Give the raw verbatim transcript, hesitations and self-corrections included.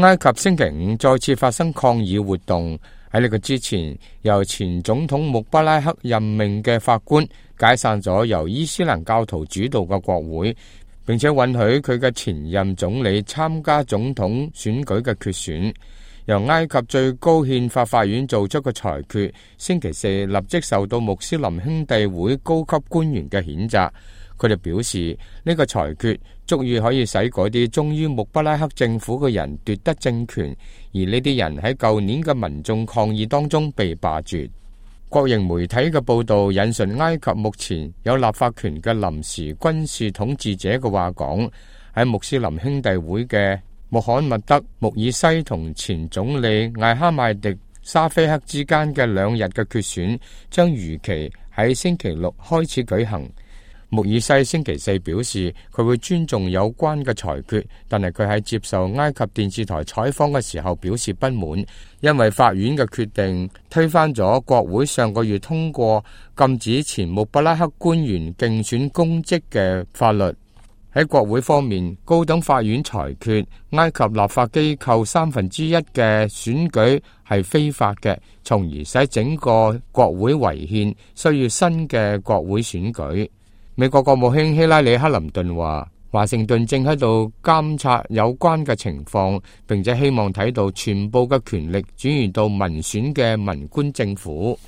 埃及星期五再次發生抗議活動。喺呢個之前，由前總統穆巴拉克任命嘅法官解散咗由伊斯蘭教徒主導嘅國會，並且允許佢嘅前任總理參加總統選舉嘅決選。由埃及最高憲法法院做出嘅裁決，星期四立即受到穆斯林兄弟會高級官員嘅譴責。佢哋表示，呢個裁決足以可以使嗰啲忠於穆巴拉克政府嘅人奪得政權，而呢啲人喺舊年嘅民眾抗議當中被罷黜。國營媒體嘅報導引述埃及目前有立法權嘅臨時軍事統治者嘅話講，喺穆斯林兄弟會嘅穆罕默德·穆爾西同前總理艾哈邁迪沙菲克之間嘅兩日嘅決選將如期喺星期六開始舉行。穆爾西星期四表示，佢會尊重有關嘅裁決，但係佢喺接受埃及電視台採訪嘅時候表示不滿，因為法院嘅決定推翻咗國會上個月通過禁止前穆巴拉克官員競選公職嘅法律。喺國會方面，高等法院裁決埃及立法機構三分之一嘅選舉係非法嘅，從而使整個國會違憲，需要新嘅國會選舉。美國國務卿希拉里·克林頓話，華盛頓正喺度監察有關嘅情況，並且希望睇到全部嘅權力轉移到民選嘅文官政府。